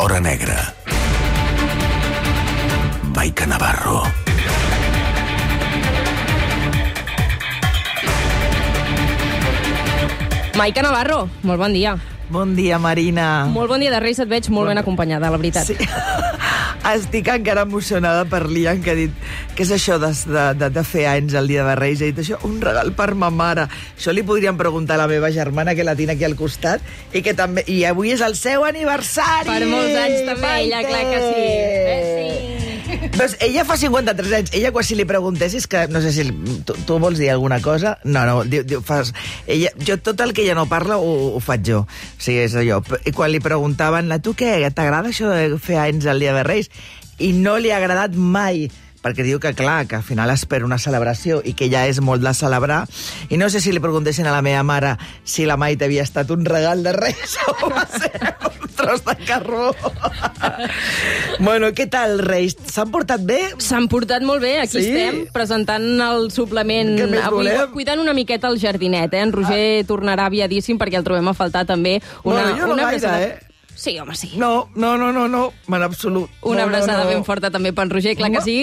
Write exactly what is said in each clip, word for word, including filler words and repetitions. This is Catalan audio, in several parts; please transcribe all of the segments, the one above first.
l'hora negra. Maica Navarro. Maica Navarro, molt bon dia. Bon dia, Marina. Molt bon dia de Reis, et veig molt bon ben acompanyada, la veritat. Sí. Estic encara emocionada per l'Ian, que ha dit què és això de, de, de fer anys el dia de Reis. Ha dit això, un regal per ma mare. Això li podríem preguntar a la meva germana, que la tinc aquí al costat, i que també i avui és el seu aniversari. Per molts anys també, Maite. Ella, clar que sí. Eh, sí. Doncs ella fa cinquanta-tres anys. Ella, quan si li preguntessis, que no sé si tu, tu vols dir alguna cosa, no, no, diu, diu, fas, ella, jo tot el que ella no parla ho, ho faig jo. O sigui, és allò. I quan li preguntaven, a tu què, t'agrada això de fer anys el dia de Reis? I no li ha agradat mai, perquè diu que, clar, que al final espera una celebració i que ja és molt de celebrar. I no sé si li preguntessin a la meva mare si la Maite havia estat un regal de Reis o va ser un tros de carbó. Bueno, què tal, Reis? S'han portat bé? S'han portat molt bé, aquí sí? estem, presentant el suplement. Què més avui volem? Cuidant una miqueta el jardinet, eh? En Roger ah. tornarà aviadíssim perquè el trobem a faltar també. Una, bueno, jo no una gaire, abraçada... eh? Sí, home, sí. No, no, no, no, no, en absolut. Una no, abraçada no, no. ben forta també pel Roger, clar que sí.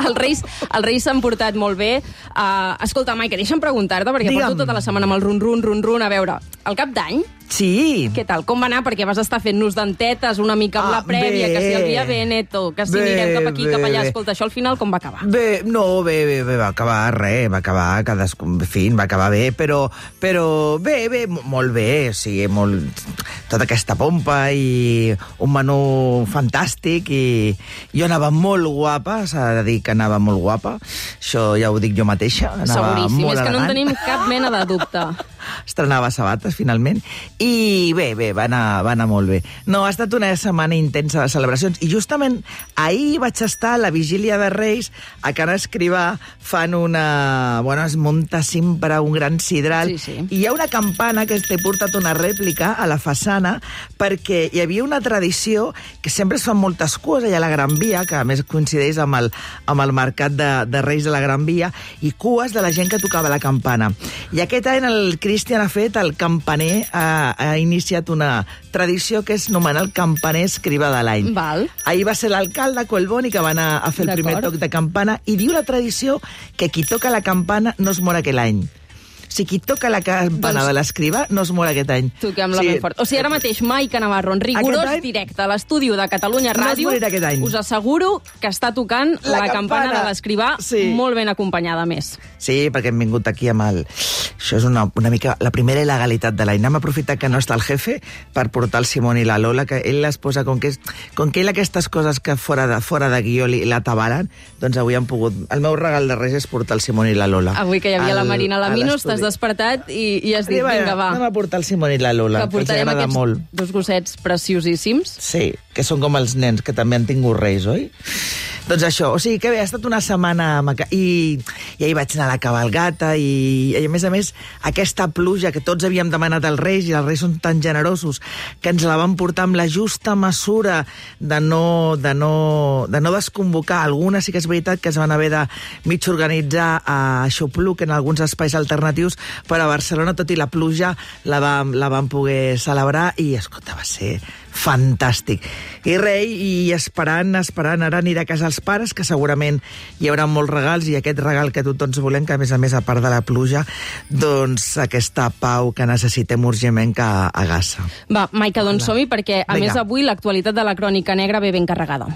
Els Reis els Reis s'han portat molt bé. Uh, escolta, Maica, deixa'm preguntar-te, perquè Digue'm. porto tota la setmana amb el run-run, run-run, a veure, el cap d'any, Sí. què tal? Com va anar? Perquè vas estar fent-nos dentetes una mica amb Ah, la prèvia, bé. que si el dia Veneto, que si Bé, anirem cap aquí, bé, cap allà. bé. Escolta, això al final com va acabar? Bé, no, bé, bé, bé, va acabar res, va acabar, cadascú, en fi, va acabar bé, però, però bé, bé, molt bé, o sigui, molt, tota aquesta pompa i un menú fantàstic i jo anava molt guapa, s'ha de dir que anava molt guapa, això ja ho dic jo mateixa, anava Seguríssim, molt és que no en elegant. tenim cap mena de dubte. Estrenava sabates, finalment, i bé, bé, va anar, va anar molt bé. No, ha estat una setmana intensa de celebracions, i justament ahir vaig estar a la vigília de Reis, a Can Escrivà, fan una... Bueno, es munta sempre un gran sidral, Sí, sí. i hi ha una campana que t'he portat una rèplica a la façana, perquè hi havia una tradició que sempre es fan moltes cues allà a la Gran Via, que a més coincideix amb el, amb el mercat de, de Reis de la Gran Via, i cues de la gent que tocava la campana. I aquest any el Cristian ha fet, el campaner ha, ha iniciat una tradició que és nomenar el campaner escrivà de l'any. Val. Ahir va ser l'alcalde Colboni que va anar a fer el primer D'acord. toc de campana i diu la tradició que qui toca la campana no es mor aquell any. O sigui, qui toca la campana Doncs- de l'escrivà no es mor aquest any. Toquem-la ben fort. O sigui, ara mateix, Maica Navarro, en rigorós Aquest any directe a l'estudi de Catalunya no es Ràdio, morirà aquest any. us asseguro que està tocant la, La campana campana. de l'escrivà, Sí. molt ben acompanyada, a més. Sí, perquè hem vingut aquí amb el... Això és una, una mica la primera il·legalitat de l'any. Hem aprofitat que no està el jefe per portar el Simón i la Lola, que ell les posa, com que, és, com que ell aquestes coses que fora de, fora de guió li, la tabalen, doncs avui han pogut... El meu regal de Reis és portar el Simón i la Lola. Avui que hi havia al- la Marina a Laminos, t'has l'estudi. despertat i, i has dit, Vinga, vinga, va, anem a portar el Simón i la Lola, que que els portarem agrada aquests molt. dos gossets preciosíssims. Sí, que són com els nens, que també han tingut reis, oi? Doncs això, o sigui que bé, ha estat una setmana maca... I, i ahir vaig anar a la cabalgata i, i a més a més aquesta pluja que tots havíem demanat als reis, i els reis són tan generosos que ens la van portar amb la justa mesura de no, de no, de no desconvocar. Algunes sí que és veritat que es van haver de mig organitzar a Xopluc en alguns espais alternatius, però a Barcelona, tot i la pluja, la vam, la vam poder celebrar i, escolta, va ser fantàstic. I rei, i esperant, esperant, ara aniré a casa als pares, que segurament hi haurà molts regals, i aquest regal que tots volem, que a més a més, a part de la pluja, doncs aquesta pau que necessitem urgentment que agassa. Va, Maica, doncs som-hi, perquè a Vinga. més avui l'actualitat de la Crònica Negra ve ben carregada.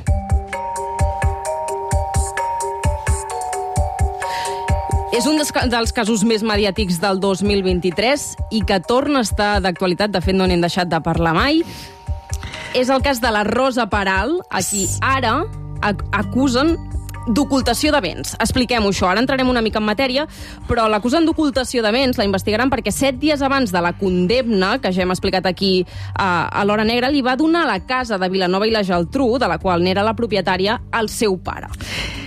És un dels, dels casos més mediàtics del dos mil vint-i-tres i que torna a estar d'actualitat, de fet no n'hem deixat de parlar mai. És el cas de la Rosa Peral, a qui ara ac acusen d'ocultació de béns. Expliquem-ho això. Ara entrarem una mica en matèria, però l'acusen d'ocultació de béns, la investigaran perquè set dies abans de la condemna, que ja hem explicat aquí a, a l'Hora Negra, li va donar la casa de Vilanova i la Geltrú, de la qual n'era la propietària, al seu pare.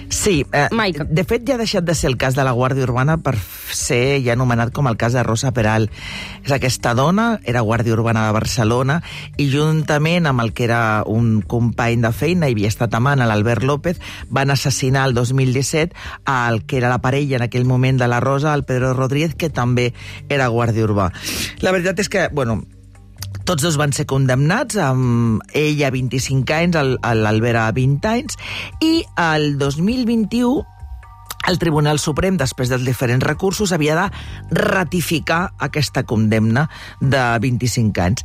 Sí, eh, Maica. de fet ja ha deixat de ser el cas de la Guàrdia Urbana per ser ja anomenat com el cas de Rosa Peral. És aquesta dona, era Guàrdia Urbana de Barcelona, i juntament amb el que era un company de feina, i havia estat amant, l'Albert López, van assassinar el dos mil disset al que era la parella en aquell moment de la Rosa, el Pedro Rodríguez, que també era Guàrdia Urbà. La veritat és que, bueno, Tots dos van ser condemnats, amb ell a vint-i-cinc anys, l'Albert a vint anys, i el dos mil vint-i-u el Tribunal Suprem, després dels diferents recursos, havia de ratificar aquesta condemna de vint-i-cinc anys.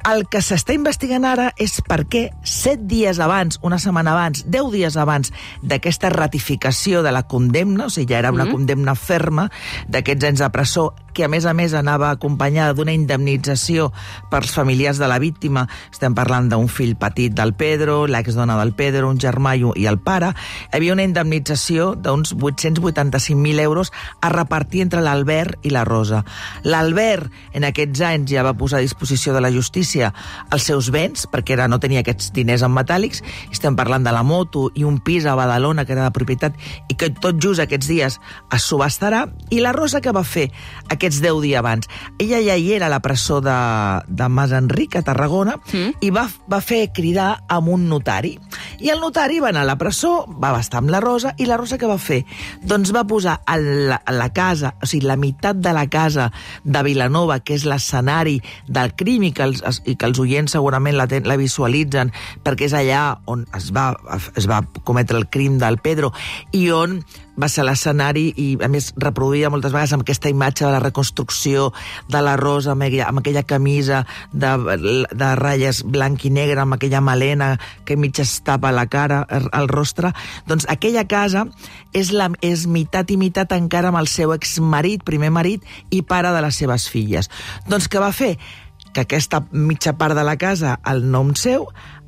El que s'està investigant ara és per què set dies abans, una setmana abans, deu dies abans d'aquesta ratificació de la condemna, o sigui, ja era una mm. condemna ferma d'aquests anys de presó, que a més a més anava acompanyada d'una indemnització pels familiars de la víctima. Estem parlant d'un fill petit del Pedro, l'exdona del Pedro, un germà i el pare. Hi havia una indemnització d'uns vuit-cents vuitanta-cinc mil euros a repartir entre l'Albert i la Rosa. L'Albert, en aquests anys, ja va posar a disposició de la justícia els seus béns, perquè era, no tenia aquests diners en metàl·lics. Estem parlant de la moto i un pis a Badalona, que era de propietat, i que tot just aquests dies es subhastarà. I la Rosa, què va fer aquests deu dies abans? Ella ja hi era a la presó de, de Mas Enric, a Tarragona, mm. i va, va fer cridar amb un notari. I el notari va anar a la presó, va estar amb la Rosa, i la Rosa què va fer? Doncs va posar a la, a la casa, o sigui, la meitat de la casa de Vilanova, que és l'escenari del crim, i que els, i que els oients segurament la, ten, la visualitzen, perquè és allà on es va, es va cometre el crim del Pedro, i on va ser l'escenari, i a més reproduïda moltes vegades amb aquesta imatge de la reconstrucció de la Rosa, amb aquella, amb aquella camisa de, de ratlles blanc i negre, amb aquella melena que mig es tapa la cara, el rostre. Doncs aquella casa és, la, és meitat i meitat encara amb el seu exmarit, primer marit, i pare de les seves filles. Doncs què va fer? Que aquesta mitja part de la casa, el nom seu,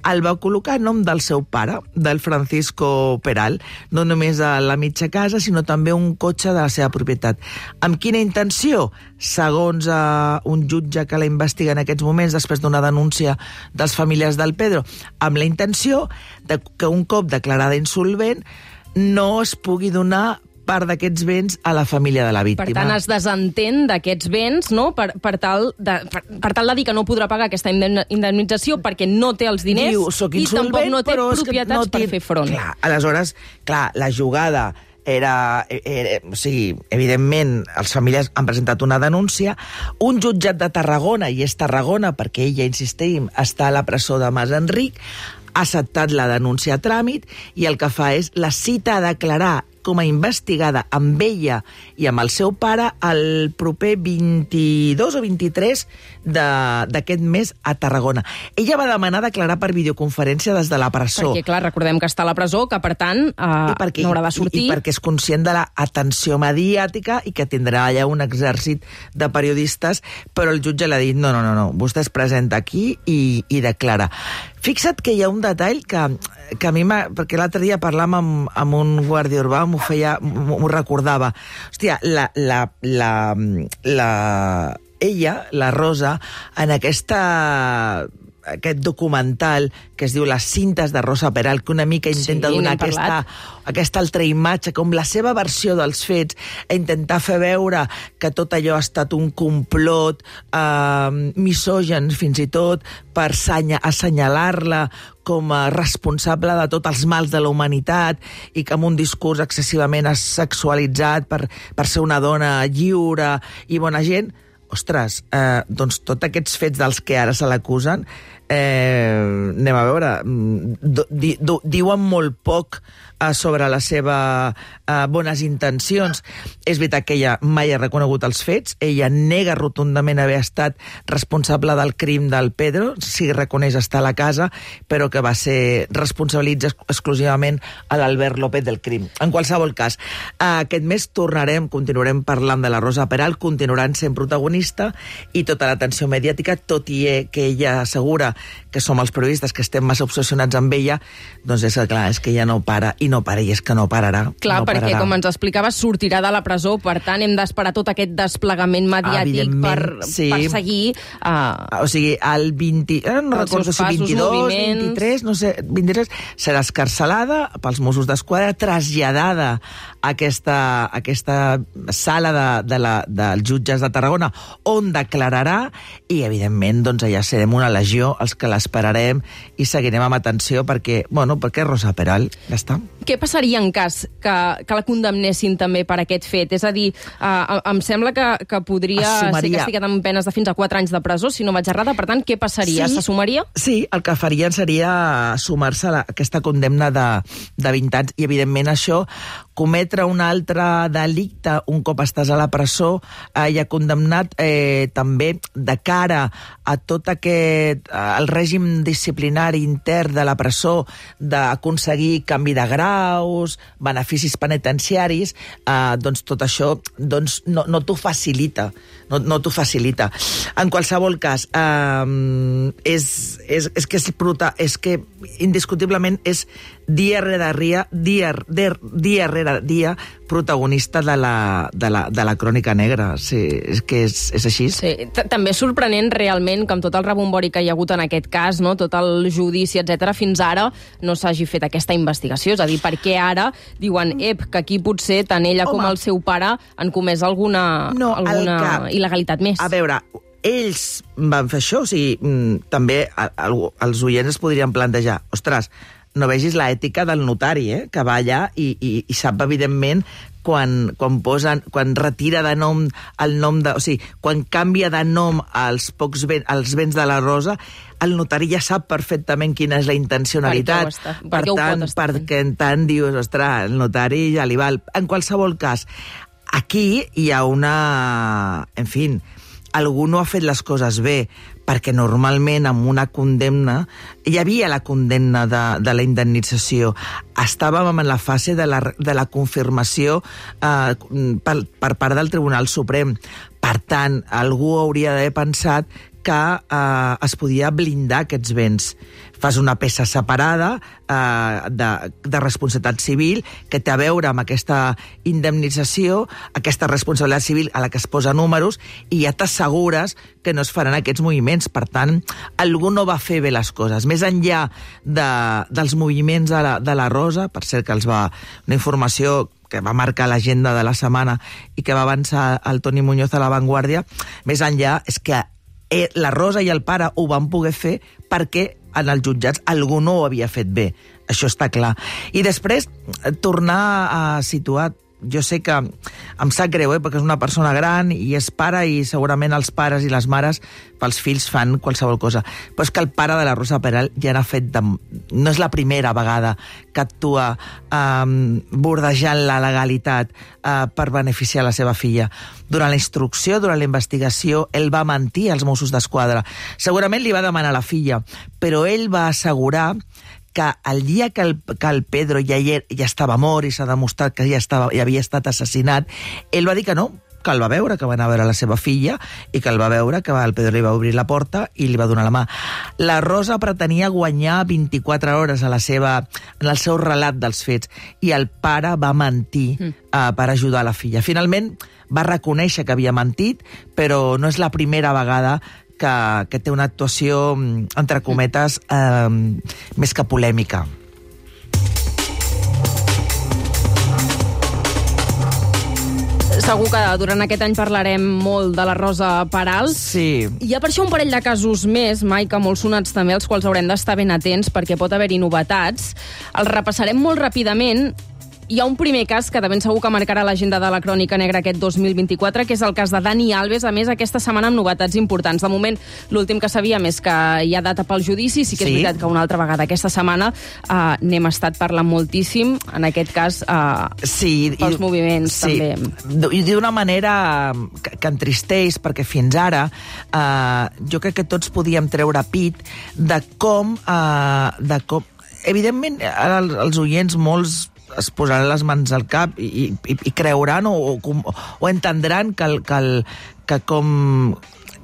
el va col·locar en nom del seu pare, del Francisco Peral, no només a la mitja casa, sinó també un cotxe de la seva propietat. Amb quina intenció? Segons uh, un jutge que la investiga en aquests moments, després d'una denúncia dels familiars del Pedro, amb la intenció de que un cop declarada insolvent no es pugui donar part d'aquests béns a la família de la víctima. Per tant, es desentén d'aquests béns, no?, per, per, tal de, per, per tal de dir que no podrà pagar aquesta indemnització perquè no té els diners. Diu, soc i insolvent, tampoc no té propietats no té... per fer front. Clar, aleshores, clar, la jugada era, era... O sigui, evidentment, els familiars han presentat una denúncia. Un jutjat de Tarragona, i és Tarragona perquè ella, insistim, està a la presó de Mas Enric, ha acceptat la denúncia a tràmit i el que fa és la cita a declarar com a investigada amb ella i amb el seu pare el proper vint-i-dos o vint-i-tres d'aquest mes a Tarragona. Ella va demanar declarar per videoconferència des de la presó. Perquè, clar, recordem que està a la presó, que, per tant, eh, perquè, no haurà de sortir. I, I perquè és conscient de l'atenció mediàtica i que tindrà allà un exèrcit de periodistes, però el jutge l'ha dit, no, no, no, no, vostè es presenta aquí i, i declara. Fixa't que hi ha un detall que, que a mi m'ha... Perquè l'altre dia parlàvem amb, amb un guàrdia urbà, m'ho feia, m'ho recordava. Hòstia, la, la, la, la, ella, la Rosa, en aquesta... aquest documental que es diu Les cintes de Rosa Peral, que una mica intenta sí, donar aquesta, aquesta altra imatge, com la seva versió dels fets, a intentar fer veure que tot allò ha estat un complot eh, misògen, fins i tot, per assenyalar-la com a responsable de tots els mals de la humanitat i que amb un discurs excessivament sexualitzat per, per ser una dona lliure i bona gent. Ostres, eh, doncs tots aquests fets dels que ara se l'acusen, eh, anem a veure, di, di, diuen molt poc eh, sobre les seves eh, bones intencions. És veritat que ella mai ha reconegut els fets, ella nega rotundament haver estat responsable del crim del Pedro, sí reconeix estar a la casa, però que va ser responsabilitza exclusivament a l'Albert López del crim. En qualsevol cas, eh, aquest mes tornarem, continuarem parlant de la Rosa Peral, continuaran sent protagonista i tota l'atenció mediàtica, tot i que ella assegura que som els periodistes que estem massa obsessionats amb ella, doncs és clar, és que ella no para, i no para, i és que no pararà. Clar, no perquè, pararà. com ens explicaves, sortirà de la presó, per tant, hem d'esperar tot aquest desplegament mediàtic per, sí. per seguir... Uh, o sigui, el vint... Eh, no recordo si vint-i-dos, vint-i-tres, no sé, vint-i-tres, serà escarcelada pels Mossos d'Esquadra, traslladada a aquesta, a aquesta sala de, de la, dels jutges de Tarragona, on declararà, i, evidentment, doncs, allà serem una legió els que l'esperarem i seguirem amb atenció perquè, bueno, perquè és Rosa Peral, ja està. Què passaria en cas que, que la condemnessin també per aquest fet? És a dir, eh, em sembla que, que podria Assumaria. ser castigat amb penes de fins a quatre anys de presó, si no vaig errada. Per tant, què passaria? Sí. S'assumaria? Sí, el que farien seria sumar-se a aquesta condemna de, de vint anys i, evidentment, això, cometre un altre delicte un cop estàs a la presó eh, i ha condemnat eh, també de cara a tot aquest eh, el règim disciplinari intern de la presó d'aconseguir canvi de graus, beneficis penitenciaris, eh, doncs tot això doncs no, no t'ho facilita, no, no t'ho facilita. En qualsevol cas, eh, és, és, és que és brutal, és que indiscutiblement és dia rere dia, dia, dia rere dia, protagonista de la, de la, de la crònica negra. Sí, és que és, és així. Sí, també és sorprenent realment que amb tot el rebombori que hi ha hagut en aquest cas, no? Tot el judici, etcètera, fins ara no s'hagi fet aquesta investigació. És a dir, per què ara diuen, ep, que aquí potser tant ella Home. com el seu pare han comès alguna, no, alguna que... il·legalitat més? A veure, ells van fer això, o sigui, també els oients es podrien plantejar, ostres, no vegis l'ètica del notari, eh? Que va allà i, i, i sap, evidentment, quan, quan, posen, quan retira de nom el nom de... O sigui, quan canvia de nom als, pocs ben, als béns de la Rosa, el notari ja sap perfectament quina és la intencionalitat. Per, per, per tant, perquè en tant dius, ostres, el notari ja li val. En qualsevol cas, aquí hi ha una... En fi, algú no ha fet les coses bé, perquè normalment amb una condemna hi havia la condemna de, de la indemnització. Estàvem en la fase de la, de la confirmació eh, per, per part del Tribunal Suprem. Per tant, algú hauria d'haver pensat que eh, es podia blindar aquests béns. Fas una peça separada eh, de, de responsabilitat civil que té a veure amb aquesta indemnització, aquesta responsabilitat civil a la que es posa números, i ja t'assegures que no es faran aquests moviments. Per tant, algú no va fer bé les coses. Més enllà de, dels moviments de la, de la Rosa, per cert que els va... Una informació que va marcar l'agenda de la setmana i que va avançar el Toni Muñoz a La Vanguardia, més enllà és que la Rosa i el pare ho van poder fer perquè en els jutjats algú no ho havia fet bé. Això està clar. I després, tornar a situar... Jo sé que em sap greu, eh, perquè és una persona gran i és pare, i segurament els pares i les mares pels fills fan qualsevol cosa. Però és que el pare de la Rosa Peral ja n'ha fet... De... No és la primera vegada que actua eh, bordejant la legalitat eh, per beneficiar la seva filla. Durant la instrucció, durant la investigació, ell va mentir als Mossos d'Esquadra. Segurament li va demanar a la filla, però ell va assegurar que el dia que el, que el Pedro ja, ja estava mort i s'ha demostrat que ja, estava, ja havia estat assassinat, ell va dir que no, que el va veure, que va anar a veure la seva filla i que el va veure, que el Pedro li va obrir la porta i li va donar la mà. La Rosa pretenia guanyar vint-i-quatre hores a la seva, en el seu relat dels fets, i el pare va mentir mm. uh, per ajudar la filla. Finalment va reconèixer que havia mentit, però no és la primera vegada que, que té una actuació, entre cometes, eh, més que polèmica. Segur que durant aquest any parlarem molt de la Rosa Peral. Sí. Hi ha per això un parell de casos més, Maica, molt sonats també, als quals haurem d'estar ben atents perquè pot haver-hi novetats. Els repassarem molt ràpidament. Hi ha un primer cas que de ben segur que marcarà l'agenda de la Crònica Negra aquest dos mil vint-i-quatre, que és el cas de Dani Alves, a més aquesta setmana amb novetats importants. De moment, l'últim que sabíem és que hi ha data pel judici, sí que és sí. veritat que una altra vegada aquesta setmana eh, n'hem estat parlant moltíssim, en aquest cas eh, sí, pels i, moviments sí. també. I d'una manera que, que entristeix, perquè fins ara eh, jo crec que tots podíem treure pit de com... Eh, de com evidentment, ara els, els oients, molts es posaran les mans al cap i, i, i creuran o, o, o entendran que, el, que, el, que com...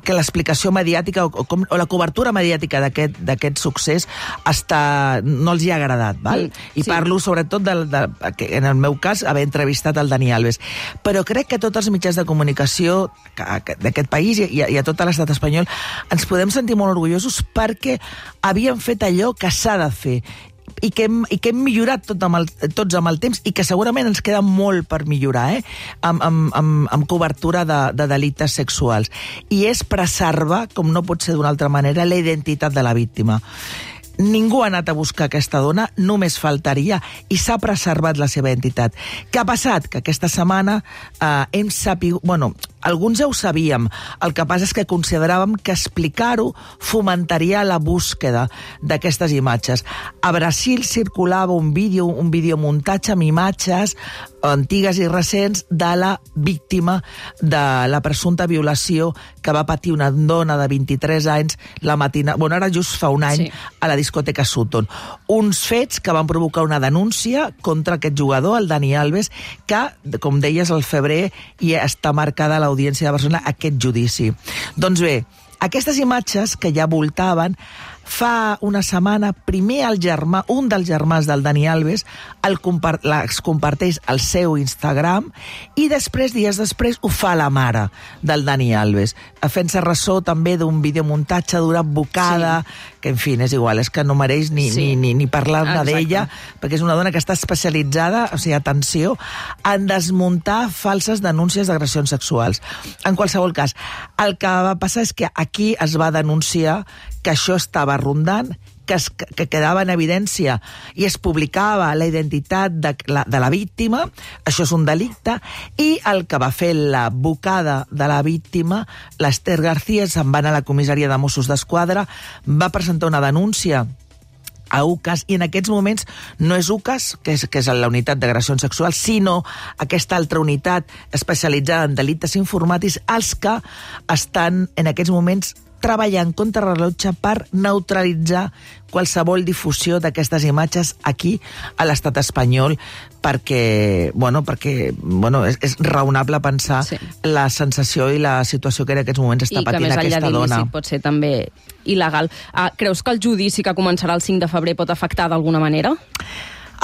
que l'explicació mediàtica o, o, com, o la cobertura mediàtica d'aquest succés està, no els hi ha agradat, val? Sí, I sí. parlo sobretot, de, de, de, en el meu cas, haver entrevistat el Dani Alves. Però crec que tots els mitjans de comunicació d'aquest país i, i a tot l'estat espanyol ens podem sentir molt orgullosos perquè havien fet allò que s'ha de fer. i que hem, i que hem millorat tot amb el, tots amb el temps i que segurament ens queda molt per millorar, eh? amb, amb, amb, amb cobertura de, de delictes sexuals. I és preservar, com no pot ser d'una altra manera, la identitat de la víctima. Ningú ha anat a buscar aquesta dona, només faltaria, i s'ha preservat la seva identitat. Què ha passat? Que aquesta setmana eh, hem sapigut... Bueno, alguns ja ho sabíem, el que passa és que consideràvem que explicar-ho fomentaria la búsqueda d'aquestes imatges. A Brasil circulava un vídeo, un videomuntatge amb imatges antigues i recents de la víctima de la presumpta violació que va patir una dona de vint-i-tres anys la matina... Bueno, ara just fa un any, sí, a la discoteca Sutton. Uns fets que van provocar una denúncia contra aquest jugador, el Dani Alves, que, com deies, al febrer i està marcada a l'Audiència de Barcelona aquest judici. Doncs bé, aquestes imatges que ja voltaven, fa una setmana, primer el germà, un dels germans del Dani Alves, el compart, les comparteix al seu Instagram i després, dies després, ho fa la mare del Dani Alves, fent-se ressò també d'un videomuntatge d'una bocada, sí, que, en fi, és igual, és que no mereix ni, sí, ni, ni, ni parlar-ne d'ella, perquè és una dona que està especialitzada, o sigui, atenció, en desmuntar falses denúncies d'agressions sexuals. En qualsevol cas, el que va passar és que aquí es va denunciar que això estava rondant, que, es, que quedava en evidència i es publicava la identitat de la, de la víctima, això és un delicte, i el que va fer la bocada de la víctima, l'Ester García, se'n va anar a la comissaria de Mossos d'Esquadra, va presentar una denúncia a U C A S, i en aquests moments no és U C A S, que és, que és la unitat d'agressions sexuals, sinó aquesta altra unitat especialitzada en delictes informàtics, els que estan en aquests moments treballant contra rellotge per neutralitzar qualsevol difusió d'aquestes imatges aquí a l'estat espanyol, perquè, bueno, perquè, bueno, és, és raonable pensar, sí, la sensació i la situació que en aquests moments està patint aquesta dona. I que més enllà d'il·lícit pot ser també il·legal. Uh, creus que el judici que començarà el cinc de febrer pot afectar d'alguna manera?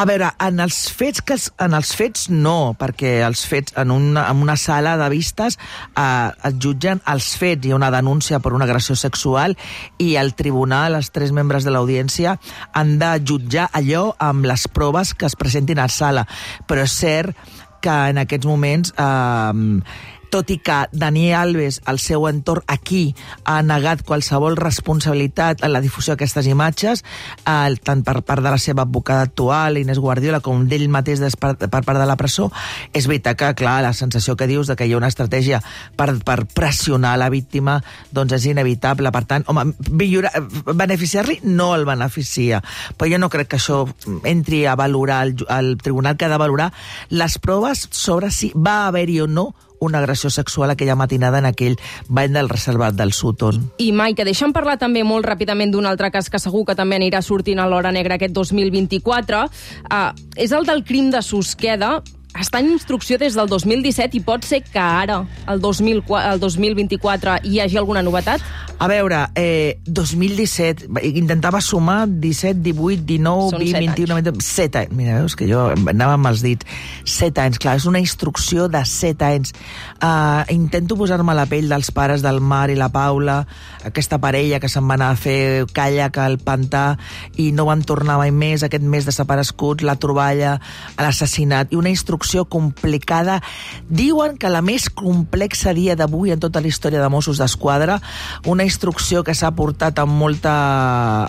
A veure, en els fets, que en els fets no, perquè els fets en una, en una sala de vistes eh, es jutgen els fets, hi ha una denúncia per una agressió sexual i el tribunal, els tres membres de l'audiència, han de jutjar allò amb les proves que es presentin a la sala. Però és cert que en aquests moments... Eh, tot i que Dani Alves, el seu entorn aquí, ha negat qualsevol responsabilitat en la difusió d'aquestes imatges, eh, tant per part de la seva advocada actual, Inés Guardiola, com d'ell mateix per, per part de la presó, és veritat que, clar, la sensació que dius de que hi ha una estratègia per, per pressionar la víctima, doncs és inevitable. Per tant, home, beneficiar-li no el beneficia, però jo no crec que això entri a valorar, el, el tribunal que ha de valorar les proves sobre si va haver-hi o no una agressió sexual aquella matinada en aquell bany del reservat del Sutton. I, Maica, deixa'm parlar també molt ràpidament d'un altre cas que segur que també anirà sortint a l'Hora Negra aquest dos mil vint-i-quatre. Uh, és el del crim de Susqueda. Està en instrucció des del dos mil disset i pot ser que ara, el dos mil, el dos mil vint-i-quatre, hi hagi alguna novetat? A veure, eh, dos mil disset, intentava sumar disset, divuit, dinou, vint, vint-i-u, vint-i-u, set anys. Mira, veus que jo anava amb els dits. set anys, clar, és una instrucció de set anys. Uh, intento posar-me a la pell dels pares del Marc i la Paula, aquesta parella que se'n va anar a fer caiac al pantà i no van tornar mai més, aquest mes desapareguts, la troballa, l'assassinat, i una instrucció complicada. Diuen que la més complexa dia d'avui en tota la història de Mossos d'Esquadra, una instrucció que s'ha portat amb molta,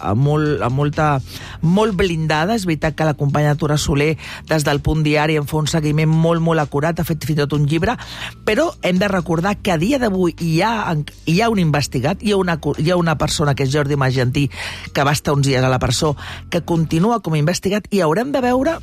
amb molt, amb molta, molt blindada. És veritat que la companya Tura Soler, des del Punt Diari, en fa un seguiment molt, molt acurat, ha fet fins i tot un llibre, però hem de recordar que a dia d'avui hi ha, hi ha un investigat, hi ha una, hi ha una persona, que és Jordi Magentí, que va estar uns dies a la presó, que continua com a investigat, i haurem de veure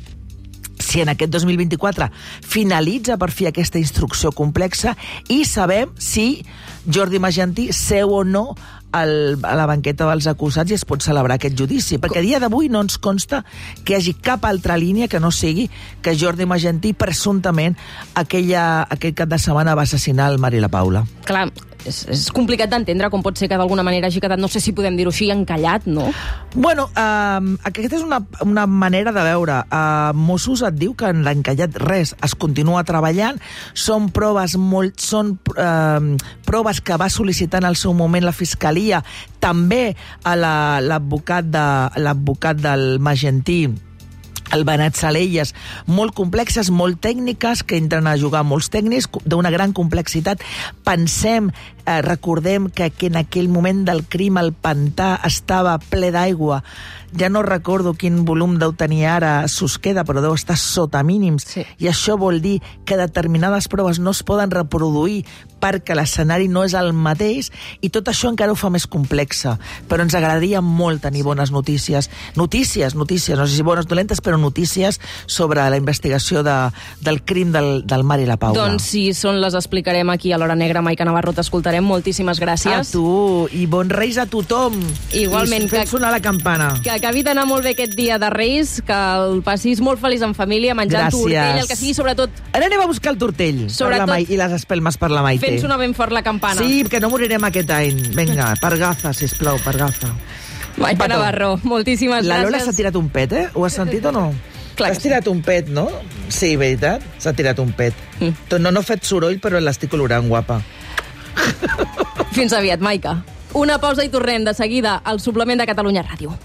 si en aquest dos mil vint-i-quatre finalitza per fi aquesta instrucció complexa i sabem si Jordi Magentí seu o no el, a la banqueta dels acusats i es pot celebrar aquest judici, perquè a dia d'avui no ens consta que hi hagi cap altra línia que no sigui que Jordi Magentí presumptament aquella, aquell cap de setmana va assassinar el Marc i la Paula. Clar, és, és complicat d'entendre com pot ser que d'alguna manera hagi quedat, no sé si podem dir-ho així, encallat, no? Bueno, uh, aquesta és una, una manera de veure. Uh, Mossos et diu que en l'encallat res, es continua treballant, són proves molt, són uh, proves que va sol·licitar en el seu moment la Fiscalia, també a l'advocat la, de, l'advocat del Magentí, el Benet Salelles, molt complexes, molt tècniques, que entren a jugar molts tècnics, d'una gran complexitat. Pensem, eh, recordem que, que en aquell moment del crim el pantà estava ple d'aigua. Ja no recordo quin volum deu tenir ara Susqueda, però deu estar sota mínims. Sí. I això vol dir que determinades proves no es poden reproduir perquè l'escenari no és el mateix, i tot això encara ho fa més complexa. Però ens agradaria molt tenir bones notícies. Notícies, notícies, no sé si bones o dolentes, però notícies sobre la investigació de, del crim del, del Mar i la Paula. Doncs si són, les explicarem aquí a l'Hora Negra. Maica Navarro, t'escoltarem. Moltíssimes gràcies. A tu, i bons Reis a tothom. Igualment. I fent sonar la campana. Que acabi d'anar molt bé aquest dia de Reis, que el passis molt feliç en família, menjant Gràcies. tortell, el que sigui, sobretot... Ara anem a buscar el tortell Sobretot, per la Mai, i les espelmes per la Maite. Fent sonar ben fort la campana. Sí, que no morirem aquest any. Vinga, per gafa, sisplau, per gafa. Maica Navarro, moltíssimes la gràcies. La Lola s'ha tirat un pet, eh? Ho has sentit o no? Clar T'has tirat un pet, no? Sí, veritat? S'ha tirat un pet. Mm. No, no ha fet soroll, però l'estic olorant, guapa. Fins aviat, Maica. Una pausa i tornem de seguida al suplement de Catalunya Ràdio.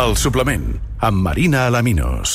El suplement, amb Marina Alaminos.